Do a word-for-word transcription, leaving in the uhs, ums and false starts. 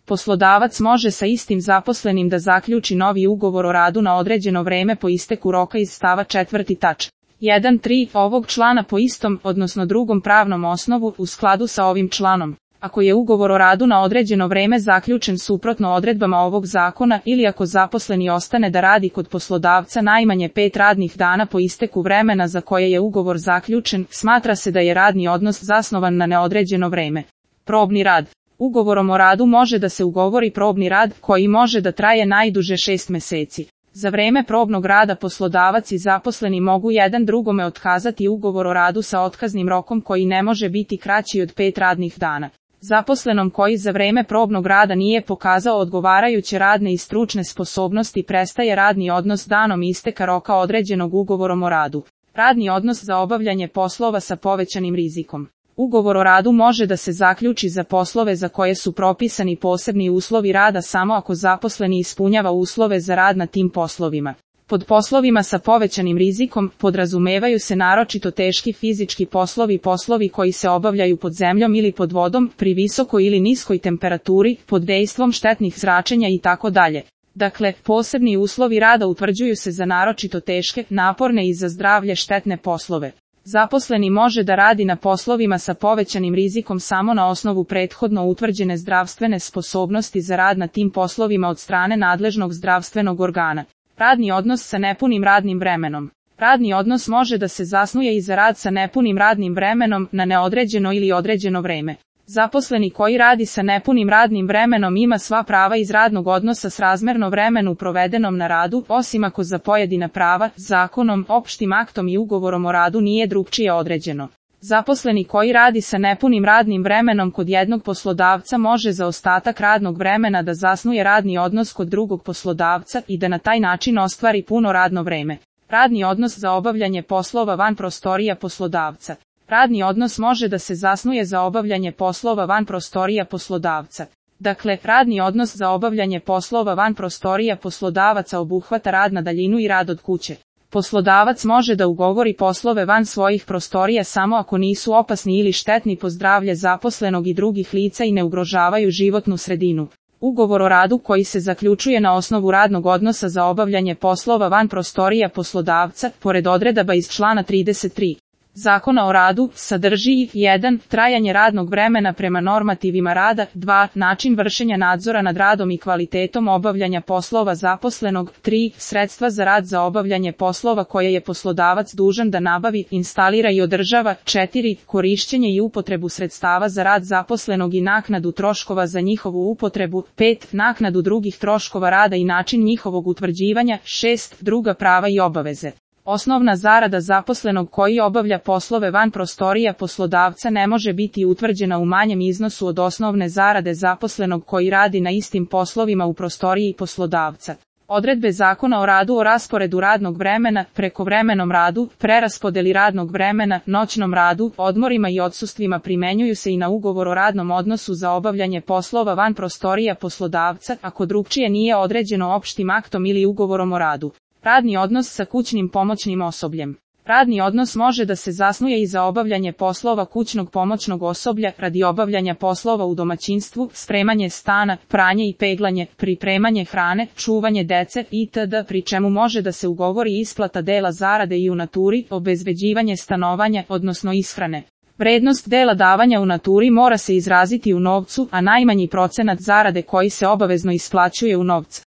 Poslodavac može sa istim zaposlenim da zaključi novi ugovor o radu na određeno vreme po isteku roka iz stava četvrti tač. jedan tri ovog člana po istom, odnosno drugom pravnom osnovu, u skladu sa ovim članom. Ako je ugovor o radu na određeno vreme zaključen suprotno odredbama ovog zakona ili ako zaposleni ostane da radi kod poslodavca najmanje pet radnih dana po isteku vremena za koje je ugovor zaključen, smatra se da je radni odnos zasnovan na neodređeno vreme. Probni rad. Ugovorom o radu može da se ugovori probni rad, koji može da traje najduže šest meseci. Za vreme probnog rada poslodavac i zaposleni mogu jedan drugome otkazati ugovor o radu sa otkaznim rokom koji ne može biti kraći od pet radnih dana. Zaposlenom koji za vreme probnog rada nije pokazao odgovarajuće radne i stručne sposobnosti prestaje radni odnos danom isteka roka određenog ugovorom o radu. Radni odnos za obavljanje poslova sa povećanim rizikom. Ugovor o radu može da se zaključi za poslove za koje su propisani posebni uslovi rada samo ako zaposleni ispunjava uslove za rad na tim poslovima. Pod poslovima sa povećanim rizikom podrazumevaju se naročito teški fizički poslovi, poslovi koji se obavljaju pod zemljom ili pod vodom, pri visokoj ili niskoj temperaturi, pod dejstvom štetnih zračenja itd. Dakle, posebni uslovi rada utvrđuju se za naročito teške, naporne i za zdravlje štetne poslove. Zaposleni može da radi na poslovima sa povećanim rizikom samo na osnovu prethodno utvrđene zdravstvene sposobnosti za rad na tim poslovima od strane nadležnog zdravstvenog organa. Radni odnos sa nepunim radnim vremenom. Radni odnos može da se zasnuje i za rad sa nepunim radnim vremenom na neodređeno ili određeno vreme. Zaposleni koji radi sa nepunim radnim vremenom ima sva prava iz radnog odnosa srazmerno vremenu provedenom na radu, osim ako za pojedina prava, zakonom, opštim aktom i ugovorom o radu nije drugčije određeno. Zaposleni koji radi sa nepunim radnim vremenom kod jednog poslodavca može za ostatak radnog vremena da zasnuje radni odnos kod drugog poslodavca i da na taj način ostvari puno radno vreme. Radni odnos za obavljanje poslova van prostorija poslodavca. Radni odnos može da se zasnuje za obavljanje poslova van prostorija poslodavca. Dakle, radni odnos za obavljanje poslova van prostorija poslodavaca obuhvata rad na daljinu i rad od kuće. Poslodavac može da ugovori poslove van svojih prostorija samo ako nisu opasni ili štetni po zdravlje zaposlenog i drugih lica i ne ugrožavaju životnu sredinu. Ugovor o radu koji se zaključuje na osnovu radnog odnosa za obavljanje poslova van prostorija poslodavca, pored odredaba iz člana trideset tri. Zakona o radu, sadrži jedan. Trajanje radnog vremena prema normativima rada, dva. Način vršenja nadzora nad radom i kvalitetom obavljanja poslova zaposlenog, tri. Sredstva za rad za obavljanje poslova koje je poslodavac dužan da nabavi, instalira i održava, četiri. Korišćenje i upotrebu sredstava za rad zaposlenog i naknadu troškova za njihovu upotrebu, pet. Naknadu drugih troškova rada i način njihovog utvrđivanja, šest. Druga prava i obaveze. Osnovna zarada zaposlenog koji obavlja poslove van prostorija poslodavca ne može biti utvrđena u manjem iznosu od osnovne zarade zaposlenog koji radi na istim poslovima u prostoriji poslodavca. Odredbe Zakona o radu o rasporedu radnog vremena, prekovremenom radu, preraspodeli radnog vremena, noćnom radu, odmorima i odsustvima primenjuju se i na ugovor o radnom odnosu za obavljanje poslova van prostorija poslodavca, ako drugčije nije određeno opštim aktom ili ugovorom o radu. Radni odnos sa kućnim pomoćnim osobljem. Radni odnos može da se zasnuje i za obavljanje poslova kućnog pomoćnog osoblja radi obavljanja poslova u domaćinstvu, spremanje stana, pranje i peglanje, pripremanje hrane, čuvanje dece itd. Pri čemu može da se ugovori isplata dela zarade i u naturi, obezbeđivanje stanovanja, odnosno ishrane. Vrednost dela davanja u naturi mora se izraziti u novcu, a najmanji procenat zarade koji se obavezno isplaćuje u novcu.